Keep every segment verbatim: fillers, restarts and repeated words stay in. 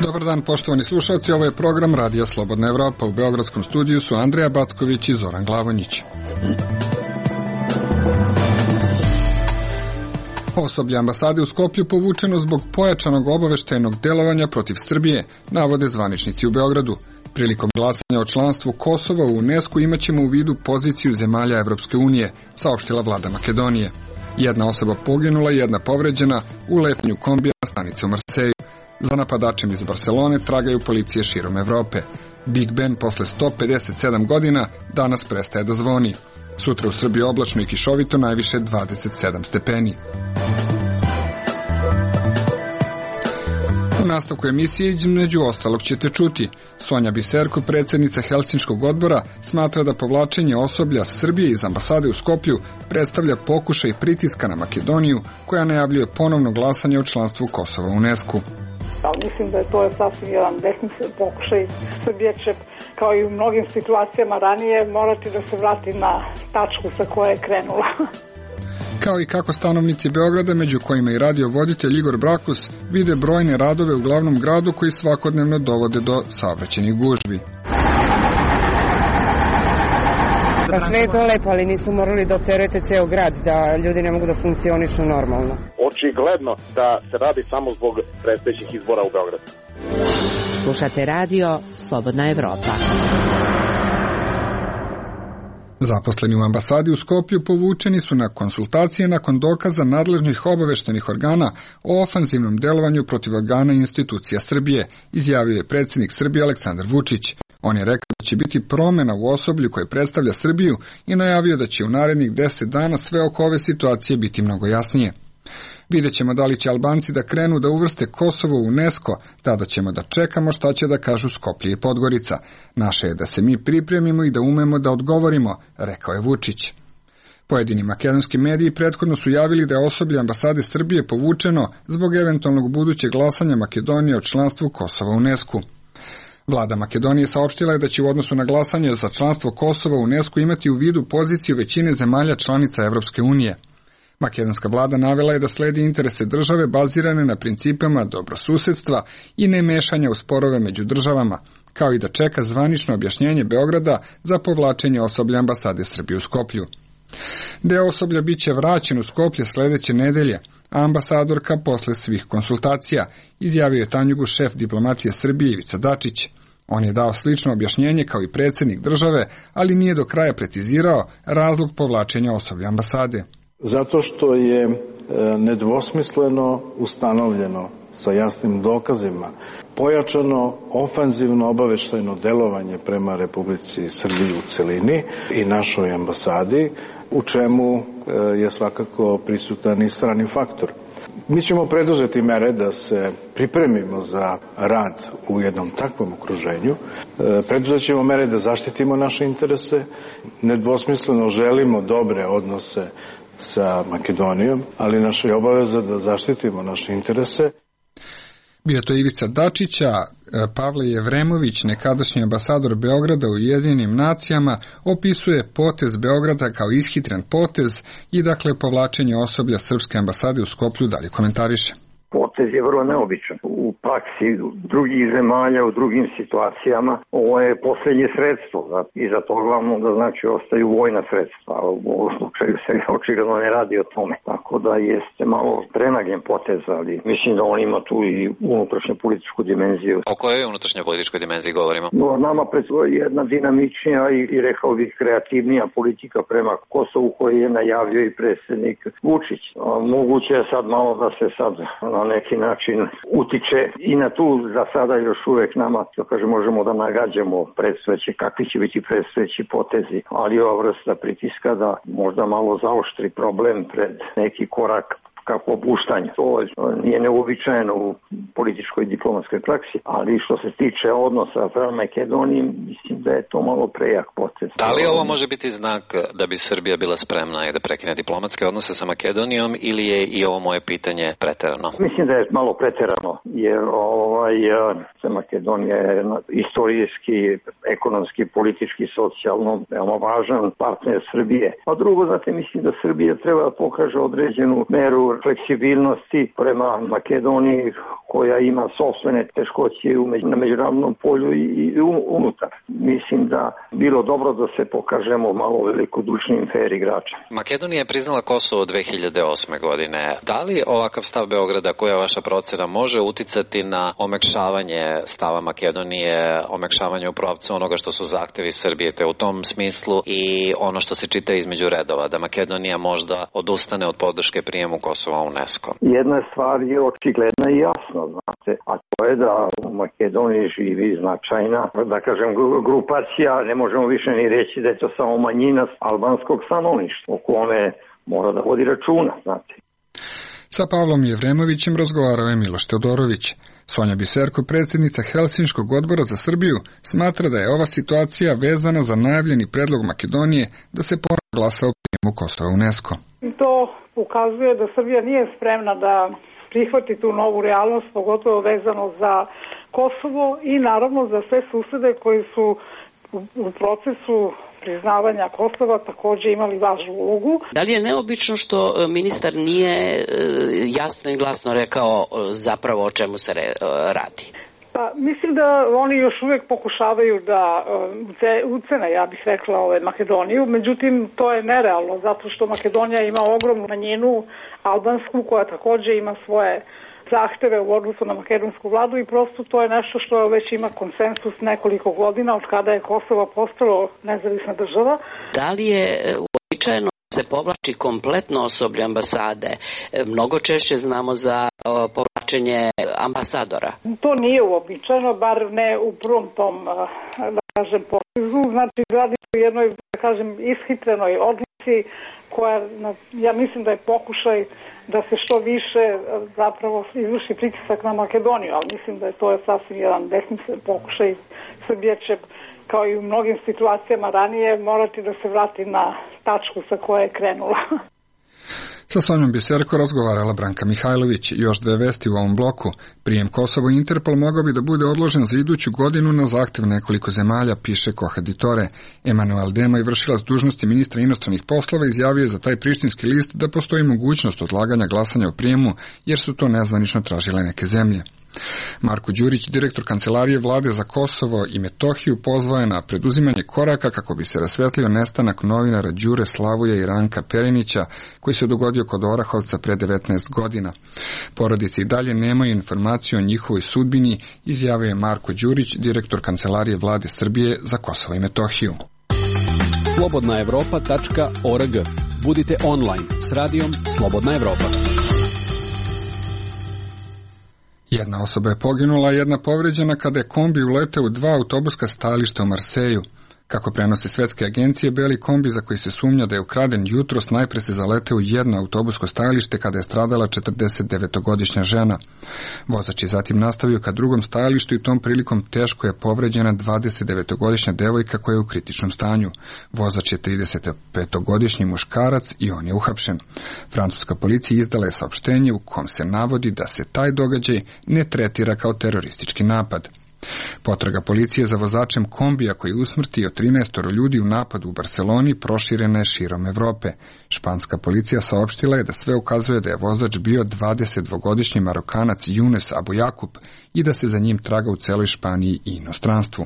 Dobar dan, poštovani slušalci, ovo je program Radija Slobodna Evropa. U beogradskom studiju su Andreja Backović i Zoran Glavonjić. Osoblje ambasade u Skoplju povučeno zbog pojačanog obaveštajnog delovanja protiv Srbije, navode zvaničnici u Beogradu. Prilikom glasanja o članstvu Kosova u UNESCO imaćemo u vidu poziciju zemalja Evropske unije, saopštila vlada Makedonije. Jedna osoba poginula i jedna povređena u letenju kombija na stanici u Marseju. Za napadačem iz Barcelone tragaju policije širom Evrope. Big Ben posle sto pedeset sedam godina danas prestaje da zvoni. Sutra u Srbiji oblačno i kišovito, najviše dvadeset sedam stepeni. U nastavku emisije između ostalog ćete čuti. Sonja Biserko, predsjednica Helsinškog odbora, smatra da povlačenje osoblja Srbije iz ambasade u Skoplju predstavlja pokušaj pritiska na Makedoniju, koja najavljuje ponovno glasanje o članstvu Kosova u UNESCO. Ali mislim da je to sasvim jedan besmislen pokušaj. Srbija će, kao i u mnogim situacijama ranije, morati da se vrati na tačku sa koje je krenula. Kao i kako stanovnici Beograda, među kojima i radiovoditelj Igor Brakus, vide brojne radove u glavnom gradu koji svakodnevno dovode do saobraćajnih gužvi. Pa sve je to lepo, ali nisu morali da opterujete ceo grad, da ljudi ne mogu da funkcionišu normalno. Očigledno da se radi samo zbog predstojećih izbora u Beogradu. Slušate radio Slobodna Evropa. Zaposleni u ambasadi u Skoplju povučeni su na konsultacije nakon dokaza nadležnih obaveštajnih organa o ofanzivnom delovanju protiv organa i institucija Srbije, izjavio je predsjednik Srbije Aleksandar Vučić. On je rekao da će biti promjena u osoblju koje predstavlja Srbiju i najavio da će u narednih deset dana sve oko ove situacije biti mnogo jasnije. Vidjet ćemo da li će Albanci da krenu da uvrste Kosovo u UNESCO, tada ćemo da čekamo šta će da kažu Skoplje i Podgorica. Naše je da se mi pripremimo i da umemo da odgovorimo, rekao je Vučić. Pojedini makedonski mediji prethodno su javili da je osoblje ambasade Srbije povučeno zbog eventualnog budućeg glasanja Makedonije o članstvu Kosova u UNESCO. Vlada Makedonije saopštila je da će u odnosu na glasanje za članstvo Kosova u UNESCO imati u vidu poziciju većine zemalja članica Evropske unije. Makedonska vlada navela je da sledi interese države bazirane na principima dobrosusedstva i nemešanja u sporove među državama, kao i da čeka zvanično objašnjenje Beograda za povlačenje osoblja ambasade Srbije u Skoplju. Deo osoblja biće vraćen u Skoplje sledeće nedelje, a ambasadorka posle svih konsultacija, izjavio je Tanjugu šef diplomatije Srbije Ivica Dačić. On je dao slično objašnjenje kao i predsjednik države, ali nije do kraja precizirao razlog povlačenja osoblja ambasade. Zato što je nedvosmisleno ustanovljeno sa jasnim dokazima pojačano ofanzivno obaveštajno delovanje prema Republici Srbiji u celini i našoj ambasadi, u čemu je svakako prisutan i strani faktor. Mi ćemo preduzeti mere da se pripremimo za rad u jednom takvom okruženju. Preduzet ćemo mere da zaštitimo naše interese. Nedvosmisleno želimo dobre odnose sa Makedonijom, ali naša je obaveza da zaštitimo naše interese. Bio to Ivica Dačić, a Pavle Jevremović, nekadašnji ambasador Beograda u Ujedinjenim nacijama, opisuje potez Beograda kao ishitren potez i dakle povlačenje osoblja srpske ambasade u Skoplju dalje komentariše. Potez je vrlo neobičan. U praksi drugih zemalja, u drugim situacijama, ovo je posljednje sredstvo. I za to glavno da znači ostaju vojna sredstva. U ovom slučaju se očigledno ne radi o tome. Tako da jeste malo prenagljen potez, ali mislim da on ima tu i unutrašnju političku dimenziju. O kojoj unutrašnjoj političkoj dimenziji govorimo? No, nama predstoji jedna dinamičnija i, i rekao bih kreativnija politika prema Kosovu koji je najavio i predsjednik Vučić. A, moguće je sad malo da se sad na neki način utiče i na tu za sada još uvijek nama, to kaže, možemo da nagađamo predstojeće, kakvi će biti predstojeći potezi, ali ova vrsta pritiska da možda malo zaoštri problem pred neki korak ka popuštanju. To nije neuobičajeno u političkoj i diplomatskoj praksi, ali što se tiče odnosa prema Makedoniji, mislim da je to malo prejak potez. Da li ovo može biti znak da bi Srbija bila spremna i da prekine diplomatske odnose sa Makedonijom, ili je i ovo moje pitanje preterano? Mislim da je malo preterano, jer ovaj, Makedonija je istorijski, ekonomski, politički, socijalno veoma važan partner Srbije. A drugo, znate, mislim da Srbija treba da pokaže određenu meru fleksibilnosti prema Makedoniji koja ima sopstvene teškoće na međunarodnom polju i unutar. Mislim da bilo dobro da se pokažemo malo velikodušnim fair igračem. Makedonija je priznala Kosovo dve hiljade osme godine. Da li ovakav stav Beograda, koja je vaša procena, može uticati na omekšavanje stava Makedonije, omekšavanje u pravcu onoga što su zahtevi Srbije, te u tom smislu i ono što se čita između redova, da Makedonija možda odustane od podrške prijemu Kosova u UNESCO? Jedna stvar je očigledna i jasna, znate, a to je da u Makedoniji živi značajna, da kažem, grupacija, ne možemo više ni reći da je to samo manjina albanskog stanovništva, o kome mora da vodi računa, znate. Sa Pavlom Jevremovićem razgovarao je Miloš Teodorović. Sonja Biserko, predsjednica Helsinškog odbora za Srbiju, smatra da je ova situacija vezana za najavljeni predlog Makedonije da se ponovno glasa o prijemu Kosova u UNESCO. To ukazuje da Srbija nije spremna da prihvati tu novu realnost, pogotovo vezano za Kosovo i naravno za sve susede koji su u procesu priznavanja Kosova također imali važnu ulogu. Da li je neobično što ministar nije jasno i glasno rekao zapravo o čemu se radi? Pa, mislim da oni još uvijek pokušavaju da ucene, ja bih rekla, ove Makedoniju, međutim to je nerealno zato što Makedonija ima ogromnu manjinu albansku koja također ima svoje zahteve u odnosu na makedonsku vladu i prosto to je nešto što već ima konsensus nekoliko godina od kada je Kosovo postalo nezavisna država. Da li je uobičajeno se povlači kompletno osoblje ambasade? Mnogo češće znamo za povlačenje ambasadora. To nije uobičajeno, bar ne u prvom tom, da kažem, potezu. Znači, radi se o jednoj, da kažem, ishitrenoj odluci koja, ja mislim da je pokušaj da se što više zapravo izvrši pritisak na Makedoniju, ali mislim da je to sasvim jedan besmislen pokušaj. Srbija će, kao i u mnogim situacijama ranije, morati da se vrati na tačku sa koje je krenula. Sa Sonjom Biserko razgovarala Branka Mihajlović. Još dve vesti u ovom bloku. Prijem Kosovo i Interpol mogao bi da bude odložen za iduću godinu na zahtev nekoliko zemalja, piše Kohaditore. Emanuel Demaj, vršilac dužnosti ministra inostranih poslova, izjavio je za taj prištinski list da postoji mogućnost odlaganja glasanja o prijemu, jer su to nezvanično tražile neke zemlje. Marko Đurić, direktor Kancelarije vlade za Kosovo i Metohiju, pozvao je na preduzimanje koraka kako bi se rasvetlio nestanak novinara Đure Slavuja i Ranka Perinića, koji se dogodio kod Orahovca pre devetnaest godina. Porodice i dalje nemaju informaciju o njihovoj sudbini, izjavio je Marko Đurić, direktor Kancelarije vlade Srbije za Kosovo i Metohiju. slobodna evropa tačka org. Budite online s radijom Slobodna Evropa. Jedna osoba je poginula, a jedna povređena kada je kombi uleteo u dva autobuska stajališta u Marseju. Kako prenose svetske agencije, beli kombi za koji se sumnja da je ukraden jutros najpre se zaleteo u jedno autobusko stajalište kada je stradala četrdesetdevetogodišnja žena. Vozač je zatim nastavio ka drugom stajalištu i tom prilikom teško je povređena dvadesetdevetogodišnja devojka koja je u kritičnom stanju. Vozač je tridesetpetogodišnji muškarac i on je uhapšen. Francuska policija izdala je saopštenje u kom se navodi da se taj događaj ne tretira kao teroristički napad. Potraga policije za vozačem kombija koji je usmrtio trinaestoro ljudi u napadu u Barseloni proširena je širom Evrope. Španska policija saopštila je da sve ukazuje da je vozač bio dvadesetdvogodišnji Marokanac Younes Abu Jakub i da se za njim traga u celoj Španiji i inostranstvu.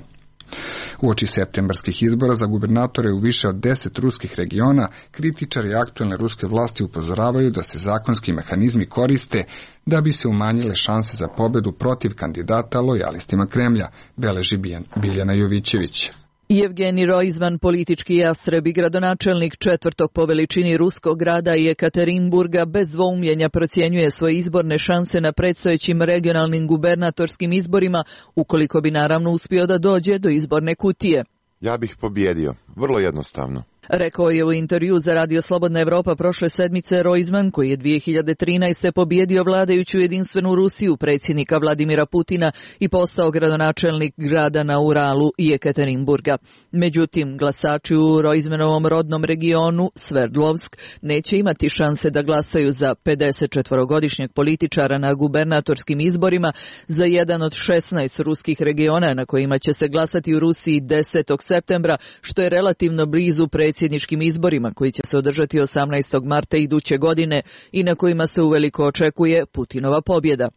Uoči septembarskih izbora za gubernatore u više od deset ruskih regiona, kritičari aktuelne ruske vlasti upozoravaju da se zakonski mehanizmi koriste da bi se umanjile šanse za pobedu protiv kandidata lojalistima Kremlja, beleži Biljana Jovićević. Jevgeni Roizman, politički jastreb i gradonačelnik četvrtog po veličini ruskog grada Jekaterinburga, bez dvoumljenja procjenjuje svoje izborne šanse na predstojećim regionalnim gubernatorskim izborima, ukoliko bi naravno uspio da dođe do izborne kutije. Ja bih pobjedio, vrlo jednostavno. Rekao je u intervju za Radio Slobodna Evropa prošle sedmice Roizman, koji je dvije hiljade trinaeste. pobjedio vladajuću jedinstvenu Rusiju predsjednika Vladimira Putina i postao gradonačelnik grada na Uralu Jekaterinburga. Međutim, glasači u Roizmanovom rodnom regionu Sverdlovsk neće imati šanse da glasaju za pedesetčetvorogodišnjeg političara na gubernatorskim izborima za jedan od šesnaest ruskih regiona na kojima će se glasati u Rusiji desetog septembra, što je relativno blizu predsjednika predsjedničkim izborima koji će se održati osamnaestog marta iduće godine i na kojima se uveliko očekuje Putinova pobjeda.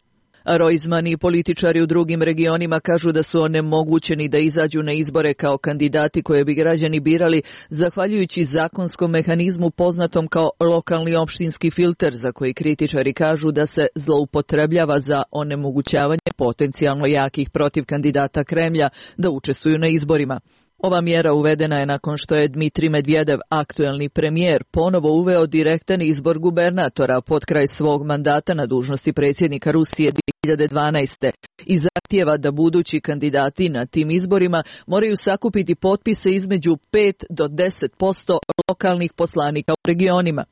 Roizman i političari u drugim regionima kažu da su onemogućeni da izađu na izbore kao kandidati koje bi građani birali zahvaljujući zakonskom mehanizmu poznatom kao lokalni opštinski filter, za koji kritičari kažu da se zloupotrebljava za onemogućavanje potencijalno jakih protiv kandidata Kremlja da učestvuju na izborima. Ova mjera uvedena je nakon što je Dmitrij Medvedev, aktuelni premijer, ponovo uveo direktan izbor gubernatora pod kraj svog mandata na dužnosti predsjednika Rusije dvije hiljade dvanaeste. i zahtijeva da budući kandidati na tim izborima moraju sakupiti potpise između pet do deset posto lokalnih poslanika u regionima.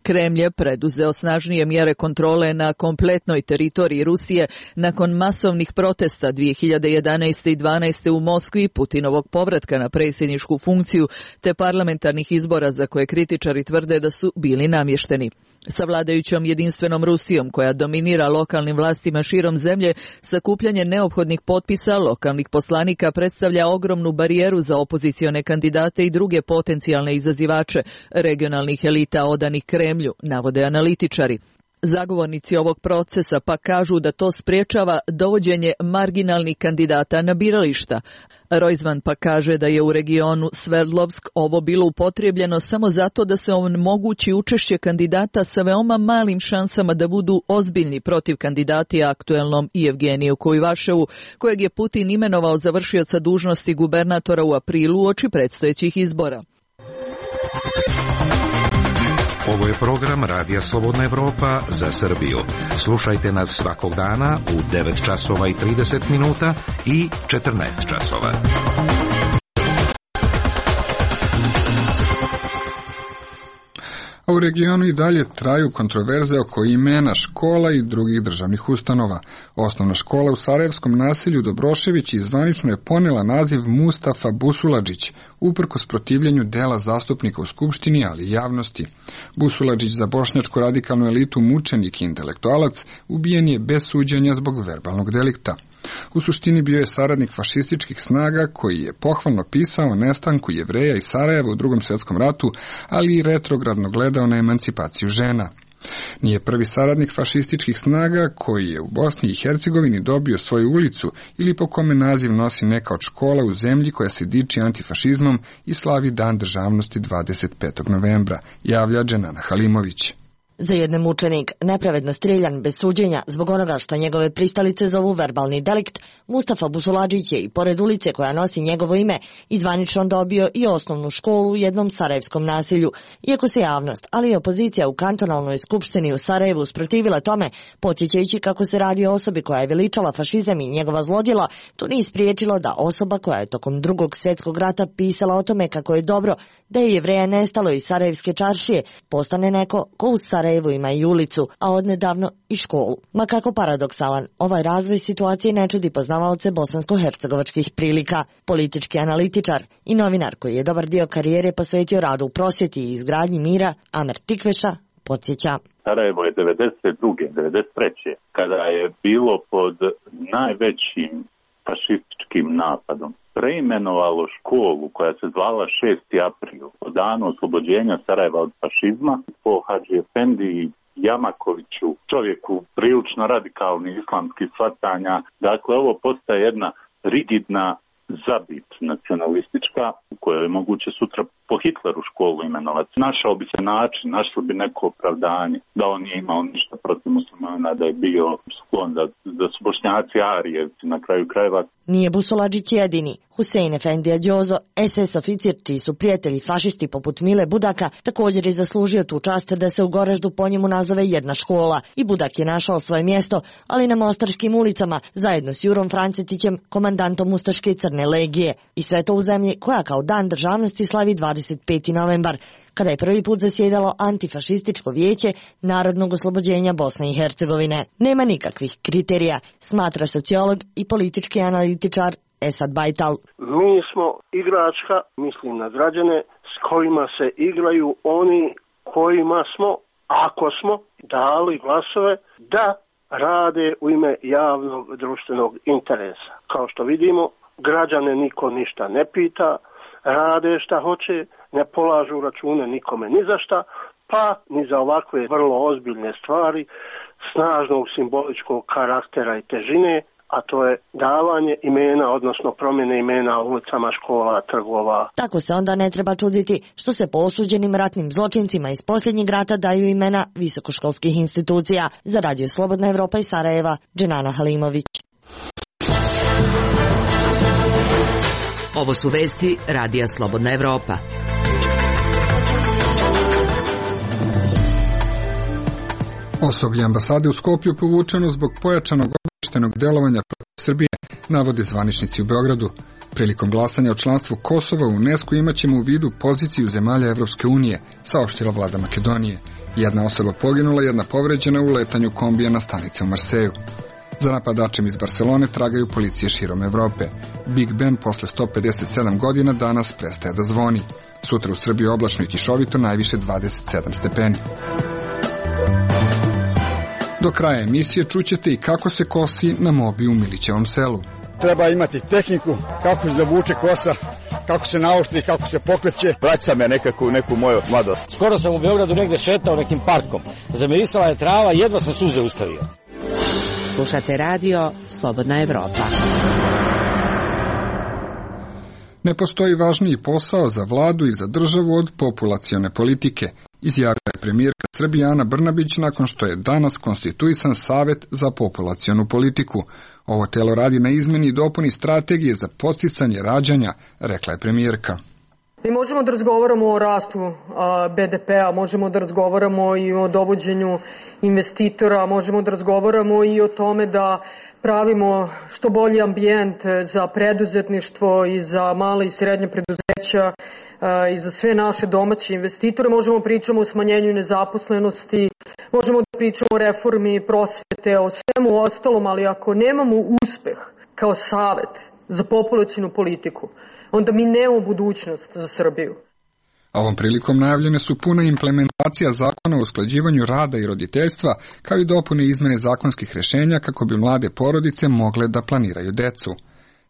Kremlj je preduzeo snažnije mjere kontrole na kompletnoj teritoriji Rusije nakon masovnih protesta dvije hiljade jedanaeste i dvanaeste u Moskvi, Putinovog povratka na predsjedničku funkciju te parlamentarnih izbora za koje kritičari tvrde da su bili namješteni. Sa vladajućom jedinstvenom Rusijom koja dominira lokalnim vlastima širom zemlje, sakupljanje neophodnih potpisa lokalnih poslanika predstavlja ogromnu barijeru za opozicione kandidate i druge potencijalne izazivače regionalnih elita odanih Kremlju, navode analitičari. Zagovornici ovog procesa pa kažu da to spriječava dovođenje marginalnih kandidata na birališta. Roizman pa kaže da je u regionu Sverdlovsk ovo bilo upotrijebljeno samo zato da se omogući učešće kandidata sa veoma malim šansama da budu ozbiljni protiv kandidati aktuelnom Evgeniju Kuivaševu, kojeg je Putin imenovao za vršioca dužnosti gubernatora u aprilu uoči predstojećih izbora. Ovo je program Radija Slobodna Evropa za Srbiju. Slušajte nas svakog dana u devet časova i trideset minuta i četrnaest časova. A u regionu i dalje traju kontroverze oko imena škola i drugih državnih ustanova. Osnovna škola u Sarajevskom naselju Dobrošević zvanično je ponela naziv Mustafa Busuladžić, uprkos protivljenju dela zastupnika u Skupštini, ali i javnosti. Busuladžić, za bošnjačku radikalnu elitu mučenik i intelektualac, ubijen je bez suđenja zbog verbalnog delikta. U suštini bio je saradnik fašističkih snaga koji je pohvalno pisao o nestanku Jevreja iz Sarajeva u Drugom svjetskom ratu, ali i retrogradno gledao na emancipaciju žena. Nije prvi saradnik fašističkih snaga koji je u Bosni i Hercegovini dobio svoju ulicu ili po kome naziv nosi neka od škola u zemlji koja se diči antifašizmom i slavi Dan državnosti dvadeset petog novembra, javlja Dženana Halimović. Za jedne mučenik, nepravedno streljan bez suđenja zbog onoga što njegove pristalice zovu verbalni delikt, Mustafa Busuladžić je i pored ulice koja nosi njegovo ime izvanično dobio i osnovnu školu u jednom sarajevskom naselju. Iako se javnost, ali i opozicija u kantonalnoj skupštini u Sarajevu usprotivila tome, podsjećajući kako se radi o osobi koja je veličala fašizam i njegova zlodjela, to nije spriječilo da osoba koja je tokom Drugog svjetskog rata pisala o tome kako je dobro da je Jevreja nestalo iz Sarajevske čaršije, postane neko ko u Sarajevu ima i ulicu, a odnedavno i školu. Ma kako paradoksalan, ovaj razvoj situacije ne čudi poznavaoce bosansko-hercegovačkih prilika. Politički analitičar i novinar koji je dobar dio karijere posvetio radu u prosvjeti i izgradnji mira, Amer Tikveša, podsjeća. Sarajevo je devedeset druge devedeset treće kada je bilo pod najvećim fašističkim napadom, preimenovalo školu koja se zvala šesti april, po danu oslobođenja Sarajeva od fašizma, po Hadži Efendi Jamakoviću, čovjeku prilično radikalnih islamskih shvatanja. Dakle, ovo postaje jedna rigidna zabit nacionalistička u kojoj je moguće sutra po Hitleru školu imenovati. Našao bi se način, našlo bi neko opravdanje da on nije imao ništa protiv muslimana, da je bio sklon, da, da su Bošnjaci Arijevci na kraju krajeva. Nije Busuladžić jedini. Husein Efendija Đozo, es es oficir čiji su prijatelji fašisti poput Mile Budaka, također je zaslužio tu čast da se u Goraždu po njemu nazove jedna škola. I Budak je našao svoje mjesto, ali na mostarskim ulicama, zajedno s Jurom Francetićem, komandantom Ustaške crne legije. I sve to u zemlji koja kao Dan državnosti slavi dvadeset peti novembar, kada je prvi put zasjedalo antifašističko vijeće Narodnog oslobođenja Bosne i Hercegovine. Nema nikakvih kriterija, smatra sociolog i politički analitičar Esad Bajtal. Mi smo igračka, mislim na građane, s kojima se igraju oni kojima smo, ako smo dali glasove, da rade u ime javnog društvenog interesa. Kao što vidimo, građane niko ništa ne pita, rade šta hoće, ne polažu račune nikome ni za šta, pa ni za ovakve vrlo ozbiljne stvari snažnog simboličkog karaktera i težine, a to je davanje imena, odnosno promjene imena ulicama, škola, trgova. Tako se onda ne treba čuditi što se po osuđenim ratnim zločincima iz posljednjeg rata daju imena visokoškolskih institucija. Za Radio Slobodna Evropa iz Sarajeva, Dženana Halimović. Ovo su vesti Radija Slobodna Evropa. Osoblje ambasade u Skopju povučeno zbog pojačanog obaveštajnog delovanja protiv Srbije, navode zvaničnici u Beogradu. Prilikom glasanja o članstvu Kosova u UNESCO imaćemo u vidu poziciju zemalja Evropske unije, saopštila vlada Makedonije. Jedna osoba poginula, jedna povređena u letanju kombija na stanice u Marseju. Za napadačem iz Barcelone tragaju policije širom Evrope. Big Ben posle sto pedeset sedam godina danas prestaje da zvoni. Sutra u Srbiji oblačno i kišovito, najviše dvadeset sedam stepeni. Do kraja emisije čućete i kako se kosi na mobi u Milićevom selu. Treba imati tehniku, kako se zavuče kosa, kako se naoštri, kako se pokreće. Vraća me nekako u neku moju mladost. Skoro sam u Beogradu negde šetao nekim parkom. Zamirisala je trava, jedva sam suze ustavio. Slušate radio Slobodna Evropa. Ne postoji važniji posao za vladu i za državu od populacione politike, izjavila je premijerka Srbije Ana Brnabić nakon što je danas konstituisan Savet za populacionu politiku. Ovo telo radi na izmeni i dopuni strategije za podsticanje rađanja, rekla je premijerka. Mi možemo da razgovaramo o rastu be de pea, možemo da razgovaramo i o dovođenju investitora, možemo da razgovaramo i o tome da pravimo što bolji ambijent za preduzetništvo i za male i srednje preduzeća i za sve naše domaće investitore. Možemo pričamo o smanjenju nezaposlenosti, možemo da pričamo o reformi prosvete, o svemu ostalom, ali ako nemamo uspeh kao savet za populacionu politiku, onda mi nemamo budućnost za Srbiju. Ovom prilikom najavljene su puna implementacija zakona o usklađivanju rada i roditeljstva, kao i dopune izmene zakonskih rješenja kako bi mlade porodice mogle da planiraju decu.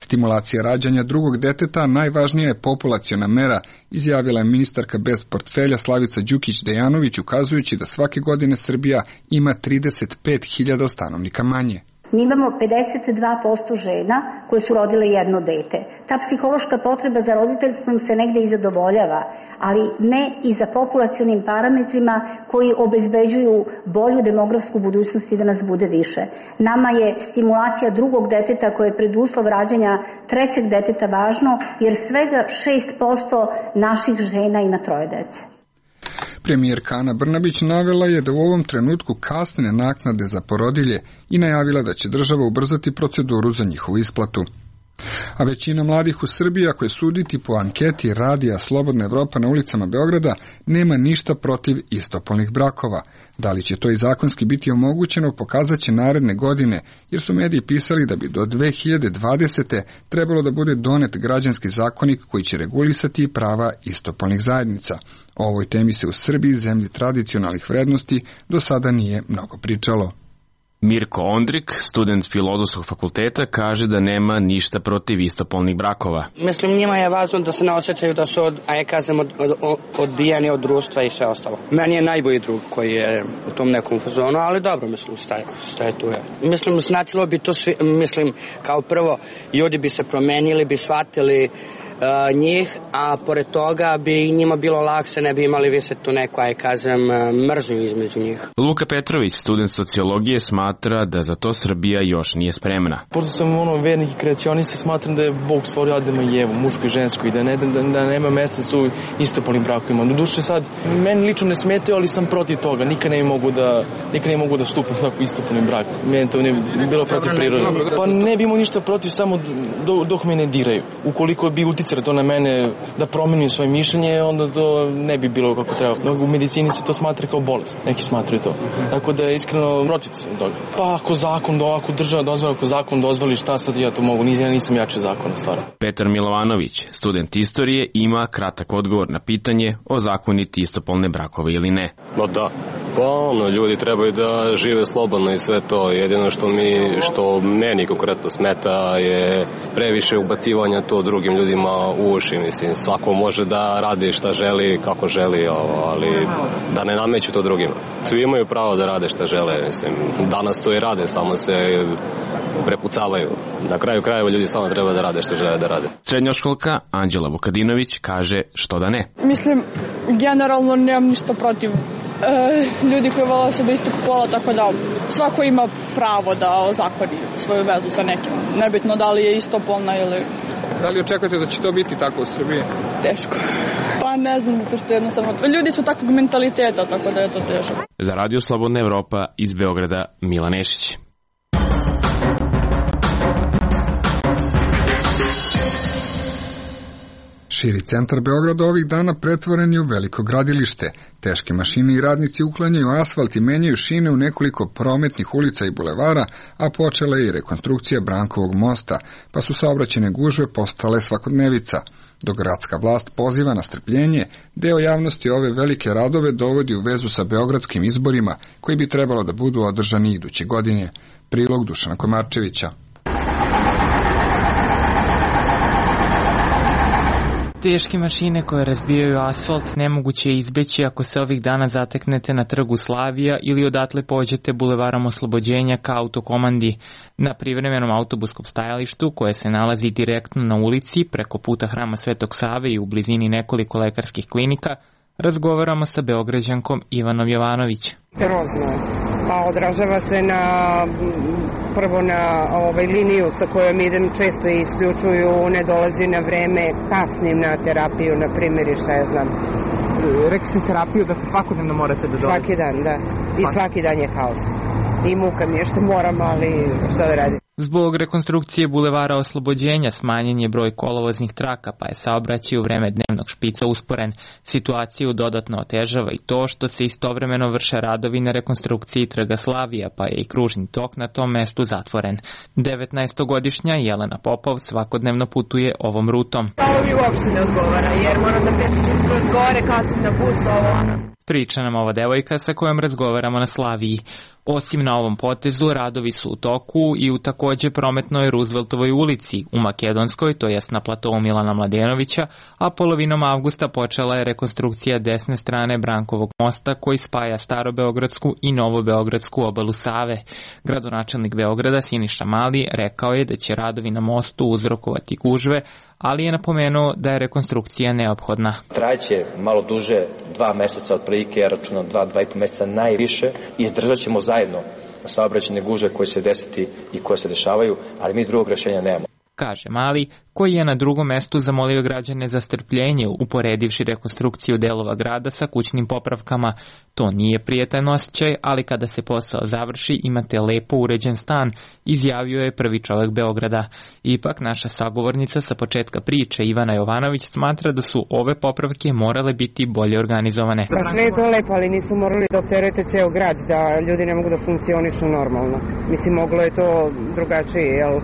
Stimulacija rađanja drugog deteta najvažnija je populaciona mera, izjavila je ministarka bez portfelja Slavica Đukić-Dejanović, ukazujući da svake godine Srbija ima trideset pet hiljada stanovnika manje. Mi imamo pedeset dva posto žena koje su rodile jedno dete. Ta psihološka potreba za roditeljstvom se negde i zadovoljava, ali ne i za populacionim parametrima koji obezbeđuju bolju demografsku budućnost i da nas bude više. Nama je stimulacija drugog deteta koje je preduslov rađanja trećeg deteta važno, jer svega šest posto naših žena ima troje dece. Premijerka Ana Brnabić navela je da u ovom trenutku kasne naknade za porodilje i najavila da će država ubrzati proceduru za njihovu isplatu. A većina mladih u Srbiji, ako je suditi po anketi Radija Slobodna Evropa na ulicama Beograda, nema ništa protiv istopolnih brakova. Da li će to i zakonski biti omogućeno, pokazat će naredne godine, jer su mediji pisali da bi do dve hiljade dvadesete. trebalo da bude donet građanski zakonik koji će regulisati prava istopolnih zajednica. O ovoj temi se u Srbiji, zemlji tradicionalnih vrednosti, do sada nije mnogo pričalo. Mirko Ondrik, student Filozofskog fakulteta, kaže da nema ništa protiv istopolnih brakova. Mislim, njima je važno da se ne osjećaju da su, od, a ja kažem, od, od, odbijeni od društva i sve ostalo. Meni je najbolji drug koji je u tom nekom fazonu, ali dobro, mislim, šta je, šta je tu je. Mislim, značilo bi to, svi, mislim, kao prvo, ljudi bi se promenili, bi shvatili Uh, njih, a pored toga bi njima bilo lakše, ne bi imali više tu neku, aj kažem, mržnju između njih. Luka Petrović, student sociologije, smatra da za to Srbija još nije spremna. Pošto sam ono vernik i kreacionista, smatram da je Bog stvorio Adama i Evu, muško i žensko, i da, ne, da, da nema mesta su istopolnim brakovima. Do duše sad, meni lično ne smetaju, ali sam protiv toga. Nikad ne mogu da, nikad ne mogu da stupim tako istopolnim brak. Meni to ne bi bilo protiv prirode. Pa ne bi imao ništa protiv, samo do, dok me ne diraju. Ukoliko bi uticali to na mene da promenim svoje mišljenje, onda to ne bi bilo kako treba. U medicini se to smatra kao bolest. Neki smatraju to. Tako da je iskreno protiv toga. Pa ako zakon, ako država dozvoli, ako zakon dozvoli, šta sad ja to mogu? Ja nisam jači zakon, stvarno. Petar Milovanović, student istorije, ima kratak odgovor na pitanje o zakoniti istopolne brakove ili ne. No da, Pa ono, ljudi trebaju da žive slobodno i sve to. Jedino što mi, što meni konkretno smeta je previše ubacivanja to drugim ljudima u uši. Mislim, svako može da radi šta želi, kako želi, ali da ne nameću to drugima. Svi imaju pravo da rade šta žele. Mislim, danas to i rade, samo se prepucavaju. Na kraju krajeva ljudi samo treba da rade što žele da rade. Srednjoškolka Anđela Vukadinović kaže što da ne. Mislim, generalno nemam ništa protiv e, ljudi koji vole osobe istog pola, tako da svako ima pravo da ozakoni svoju vezu sa nekim. Nebitno da li je istopolna ili... Da li očekujete da će to biti tako u Srbiji? Teško. Pa ne znam, zato što jednostavno... Ljudi su takvog mentaliteta, tako da je to teško. Za Radio Slobodna Evropa iz Beograda, Milan Nešić. Širi centar Beograda ovih dana pretvoren je u veliko gradilište. Teške mašine i radnici uklanjaju asfalt i menjaju šine u nekoliko prometnih ulica i bulevara, a počela je i rekonstrukcija Brankovog mosta, pa su saobraćajne gužve postale svakodnevica. Dok gradska vlast poziva na strpljenje, deo javnosti ove velike radove dovodi u vezu sa beogradskim izborima, koji bi trebalo da budu održani iduće godine. Prilog Dušana Komarčevića. Teške mašine koje razbijaju asfalt nemoguće je izbeći ako se ovih dana zateknete na trgu Slavija ili odatle pođete bulevarom Oslobođenja ka autokomandi. Na privremenom autobuskom stajalištu, koje se nalazi direktno na ulici preko puta Hrama Svetog Save i u blizini nekoliko lekarskih klinika, razgovaramo sa Beograđankom Ivanom Jovanović. Grozno. Pa odražava se na, prvo na ovaj, liniju sa kojom idem, često isključuju, ne dolazi na vreme, kasnim na terapiju, na primjer, i šta ja znam. Rekli ste terapiju, dakle svakodnevno morate da dolazite? Svaki dan, da. I svaki dan je haos. I muka mi je što moram, ali šta da radim. Zbog rekonstrukcije bulevara Oslobođenja smanjen je broj kolovoznih traka, pa je saobraćaj u vreme dnevnog špica usporen. Situaciju dodatno otežava i to što se istovremeno vrše radovi na rekonstrukciji trga Slavija, pa je i kružni tok na tom mestu zatvoren. devetnaestogodišnja Jelena Popov svakodnevno putuje ovom rutom. Ovo mi uopšte ne odgovara, jer moram da prečičim skroz gore, kasnim na bus, ovo ono. Priča nam ova devojka sa kojom razgovaramo na Slaviji. Osim na ovom potezu, radovi su u toku i u takođe prometnoj Rooseveltovoj ulici, u Makedonskoj, to jest na platovu Milana Mladenovića, a polovinom avgusta počela je rekonstrukcija desne strane Brankovog mosta koji spaja Starobeogradsku i Novobeogradsku obalu Save. Gradonačelnik Beograda Siniša Mali rekao je da će radovi na mostu uzrokovati gužve, ali je napomenuo da je rekonstrukcija neophodna. Trajaće malo duže, dva meseca otprilike, ja računam dva, dva i po meseca najviše, i izdržat ćemo zajedno saobraćajne gužve koje se desiti i koje se dešavaju, ali mi drugog rešenja nemamo. Kaže Mali, koji je na drugom mestu zamolio građane za strpljenje uporedivši rekonstrukciju delova grada sa kućnim popravkama. To nije prijetan osjećaj, ali kada se posao završi imate lepo uređen stan, izjavio je prvi čovek Beograda. Ipak naša sagovornica sa početka priče Ivana Jovanović smatra da su ove popravke morale biti bolje organizovane. Pa sve je to lepo, ali nisu morali da opterete ceo grad, da ljudi ne mogu da funkcionišu normalno. Mislim, moglo je to drugačije, jel?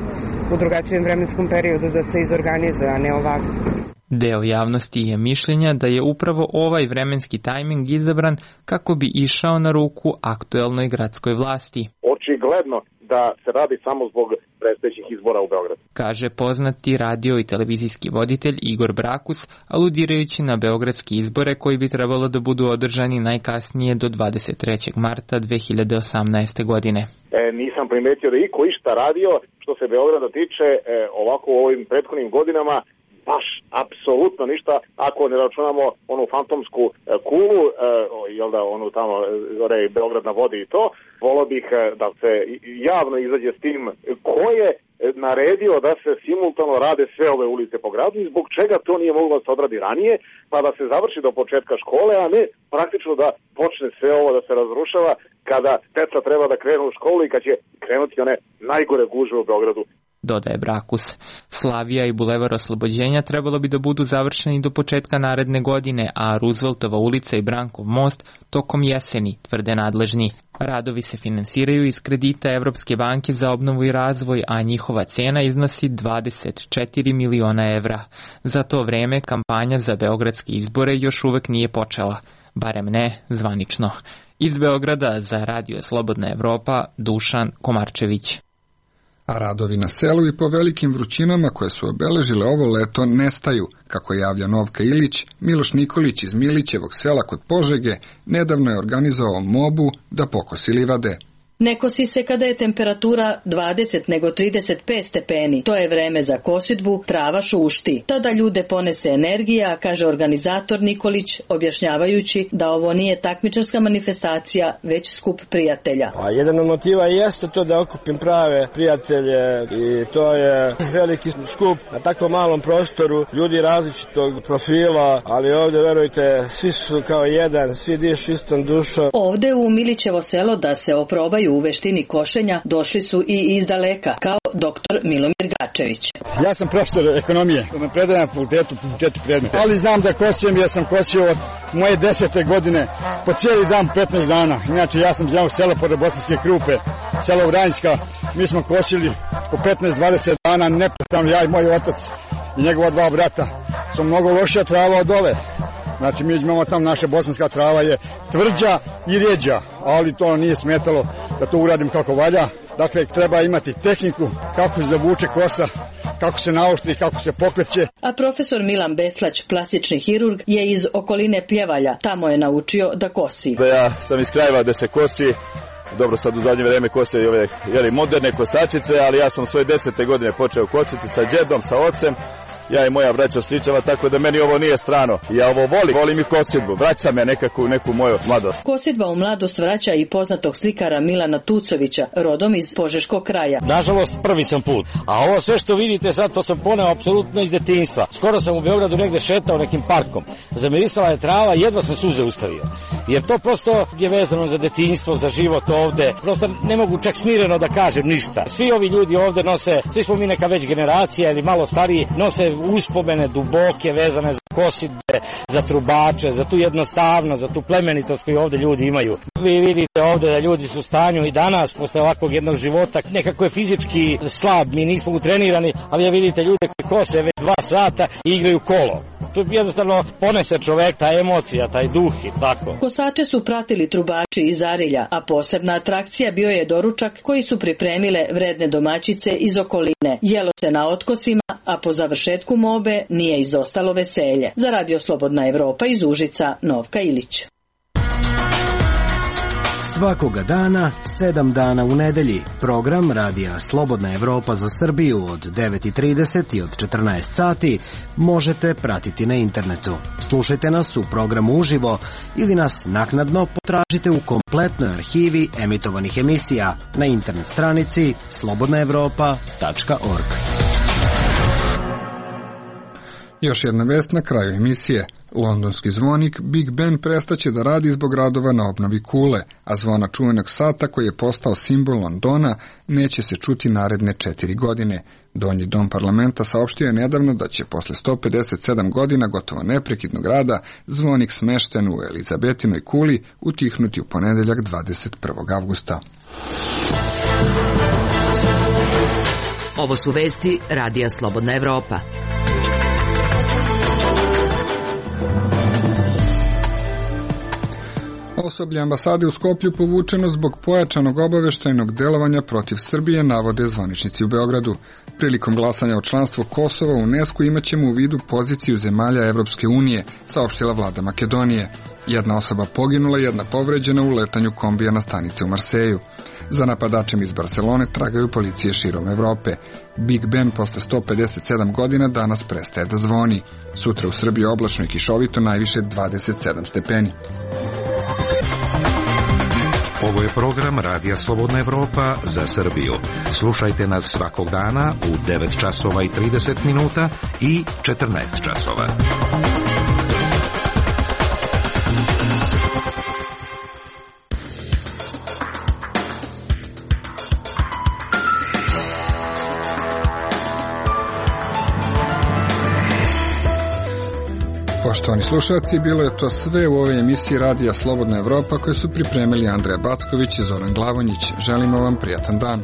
U drugačijem vremenskom periodu da se izorganizuje, a ne ovako. Deo javnosti je mišljenja da je upravo ovaj vremenski tajming izabran kako bi išao na ruku aktuelnoj gradskoj vlasti. Očigledno da se radi samo zbog predstojećih izbora u Beogradu, kaže poznati radio i televizijski voditelj Igor Brakus, aludirajući na beogradske izbore koji bi trebalo da budu održani najkasnije do dvadeset trećeg marta dve hiljade osamnaeste godine. E, nisam primetio da iko išta radio što se Beograda tiče e, ovako u ovim prethodnim godinama, baš apsolutno ništa, ako ne računamo onu fantomsku e, kulu, e, jel da, onu tamo zore Beograd na vodi i to. Volio bih e, da se javno izađe s tim ko je naredio da se simultano rade sve ove ulice po gradu i zbog čega to nije moglo da se odradi ranije, pa da se završi do početka škole, a ne praktično da počne sve ovo da se razrušava kada deca treba da krenu u školu i kad će krenuti one najgore gužve u Beogradu. Dodaje Brakus. Slavija i bulevar Oslobođenja trebalo bi da budu završeni do početka naredne godine, a Rooseveltova ulica i Brankov most tokom jeseni, tvrde nadležni. Radovi se finansiraju iz kredita Evropske banke za obnovu i razvoj, a njihova cena iznosi dvadeset četiri miliona evra. Za to vreme kampanja za beogradske izbore još uvek nije počela, barem ne zvanično. Iz Beograda za Radio Slobodna Evropa Dušan Komarčević. A radovi na selu i po velikim vrućinama koje su obeležile ovo leto nestaju, kako javlja Novka Ilić. Miloš Nikolić iz Milićevog sela kod Požege nedavno je organizovao mobu da pokosi livade. Ne kosi se kada je temperatura dvadeset nego trideset pet stepeni. To je vreme za kosidbu, trava šušti. Tada ljude ponese energija, kaže organizator Nikolić, objašnjavajući da ovo nije takmičarska manifestacija, već skup prijatelja. A jedan od motiva jeste to da okupim prave prijatelje i to je veliki skup na tako malom prostoru, ljudi različitog profila, ali ovdje, verujte, svi su kao jedan, svi dišu istom dušom. Ovde u Milićevo selo da se oprobaju u veštini košenja došli su i iz daleka, kao doktor Milomir Gačević. Ja sam profesor ekonomije, predajem na fakultetu četiri predmeta, ali znam da kosim, ja sam kosio od moje desete godine po cijeli dan petnaest dana. Inače, ja sam iz jednog sela pored Bosanske Krupe, selo Vranjska, mi smo kosili po petnaest dvadeset dana neprestano, ja i moj otac i njegova dva brata. Su mnogo lošija trava od ove. Znači, mi imamo tamo, naša bosanska trava je tvrđa i rjeđa, ali to nije smetalo da to uradim kako valja. Dakle, treba imati tehniku kako se zavuče kosa, kako se naoštri, kako se pokreće. A profesor Milan Beslać, plastični hirurg, je iz okoline Pljevalja. Tamo je naučio da kosi. Da ja sam iz krajeva da se kosi. Dobro, sad u zadnje vreme kose i ove jeli, moderne kosačice, ali ja sam svoje desete godine počeo kositi sa džedom, sa ocem. Ja i moja braća stričeva, tako da meni ovo nije strano. Ja ovo volim, volim i kosidbu, vraća me nekako u neku moju mladost. Kosidba u mladost vraća i poznatog slikara Milana Tucovića, rodom iz Požeškog kraja. Nažalost, prvi sam put. A ovo sve što vidite sad, to sam poneo apsolutno iz detinjstva. Skoro sam u Beogradu negde šetao nekim parkom. Zamirisala je trava, jedva sam suze ustavio. Jer to prosto je vezano za detinjstvo, za život ovde. Prosto ne mogu čak smireno da kažem ništa. Svi ovi ljudi ovde nose, svi smo mi neka već generacija ili malo stariji, nose uspomene duboke vezane za kosidbe, za trubače, za tu jednostavnost, za tu plemenitost koju ovde ljudi imaju. Vi vidite ovde da ljudi su u stanju i danas, posle ovakvog jednog života, nekako je fizički slab, mi nismo utrenirani, ali ja vidite ljude koji kose već dva sata i igraju kolo. To jednostavno ponese čovek, ta emocija, taj duh i tako. Kosače su pratili trubači iz Arilja, a posebna atrakcija bio je doručak koji su pripremile vredne domaćice iz okoline. Jelo se na otkosima, a po završetku mobe nije izostalo veselje. Za Radio Slobodna Evropa iz Užica, Novka Ilić. Svakoga dana, sedam dana u nedelji, program Radija Slobodna Evropa za Srbiju od devet i trideset i od četrnaest sati možete pratiti na internetu. Slušajte nas u programu uživo ili nas naknadno potražite u kompletnoj arhivi emitovanih emisija na internet stranici slobodna evropa tačka org. Još jedna vest na kraju emisije. Londonski zvonik Big Ben prestaće da radi zbog radova na obnovi kule, a zvona čuvenog sata koji je postao simbol Londona neće se čuti naredne četiri godine. Donji dom parlamenta saopštio je nedavno da će posle sto pedeset sedam godina gotovo neprekidnog rada zvonik smešten u Elizabetinoj kuli utihnuti u ponedeljak dvadeset prvog avgusta. Ovo su vesti Radija Slobodna Evropa. Osoblje ambasade u Skoplju povučeno zbog pojačanog obaveštajnog delovanja protiv Srbije, navode zvaničnici u Beogradu. Prilikom glasanja o članstvu Kosova u UNESCO imaćemo u vidu poziciju zemalja Evropske unije, saopštila vlada Makedonije. Jedna osoba poginula, jedna povređena u letanju kombija na stanice u Marseju. Za napadačem iz Barcelone tragaju policije širom Evrope. Big Ben posle sto pedeset sedam godina danas prestaje da zvoni. Sutra u Srbiji oblačno i kišovito, najviše dvadeset sedam stepeni. Ovo je program Radija Slobodna Evropa za Srbiju. Slušajte nas svakog dana u devet časova i trideset minuta i četrnaest časova. Poštovani slušalci, bilo je to sve u ovoj emisiji Radija Slobodna Evropa koje su pripremili Andreja Backović i Zoran Glavonjić. Želimo vam prijatan dan.